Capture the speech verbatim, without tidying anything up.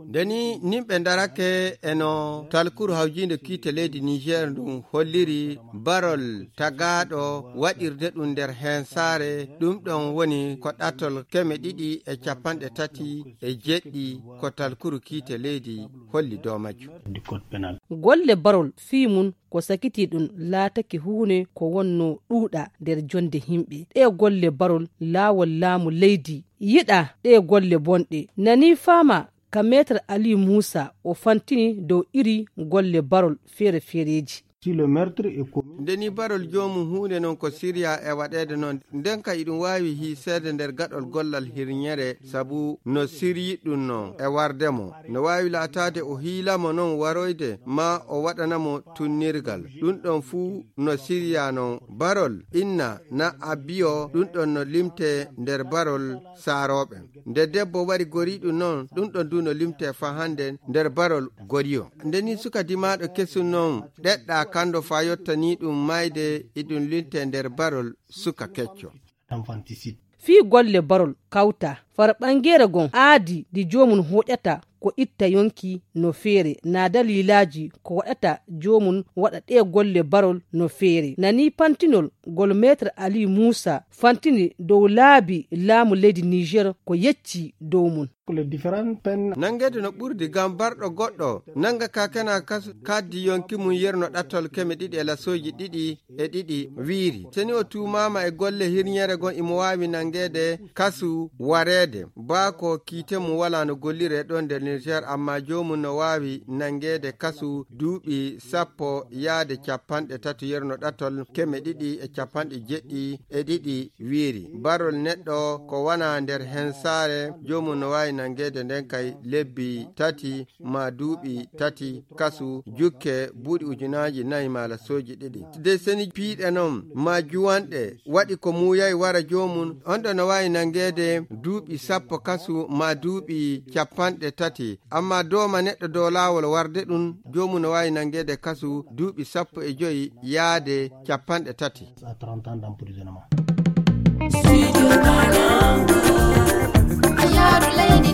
ndeni nimɓe darake eno talkuru hawjinde kiite leydi Niger ɗum holliri barol tagaɗo waɗirde ɗum nder hensare ɗum ɗon woni ko ɗatol keme ɗiɗi e capanɗe tati e jeɗɗi ko talkuru kiite leydi holli dow majjum. Golle barol fii mum ko sakiti ɗum laatake huune ko wonno ɗuuɗa nder jonde himɓe. Ɗe golle barol laawol laamu leydi yiɗa ɗe golle bonɗe. Nani fama ka Maître Ali Musa o fantini dow iri golle barol feere feereji. ndeni barol jomum hunde noon ko siriya e waɗede noon nden ka iɗum wawi hiseede nder gaɗol gollal hirñere sabu no siryi ɗum noon e wardemo no wawi laatade o hiilamo noon waroyde ma o waɗanamo tunnirgal ɗum ɗon fuu no siriya noon barol inna na abbiyo ɗum ɗon no limte nder barol saaroɓe nde debbo wari goriɗum noon ɗum ɗon du no limte fa hande nder barol goriyo ndeni suka dimaɗo kesum noon ɗeɗɗa kando fa yottani ɗum mayde iɗum linte nder barol suka kecco. Fii golle barol kawta far ɓangere gon aadi di jomum hoƴata ko itta yonki no feere na dalilaji ko waɗata jomum waɗa ɗe golle barol no feere. Nani pantinol gol Maître Ali Musa fantini dow laabi laamu leydi Niger ko yecci dow mum. nangede no ɓurdi gam barɗo goɗɗo nanga ka kana kaddi yonki mum yerno ɗattol keme ɗiɗi e lasoji ɗiɗi e ɗiɗi wiiri teni o tumama e golle hirñere gon imo wawi nangede kasu wareede baako kiite mum wala no gollire ɗon nder Niger amma jomum no wawi nangede kasu duuɓi sappo yaade capanɗe tati yerno ɗattol keme ɗiɗi e capanɗe jeɗɗi e ɗiɗi wiiri barol neɗɗo ko wana nder hensare jomum no wawi nangede nden kay lebbi tati ma duuɓi tati kasu jukke buuɗi ujunaji nayi mala soji ɗiɗi de seni piiɗe noon ma juwanɗe waɗi ko muyayi wara jomum on ɗo no wawi nangede duuɓi sappo kasu ma duuɓi capanɗe tati amma doma neɗɗo dow laawol warde ɗum jomum no wawi nangede kasu duuɓi sappo e joyi yaade capanɗe tati. Studio Banangu, Ayadu Lady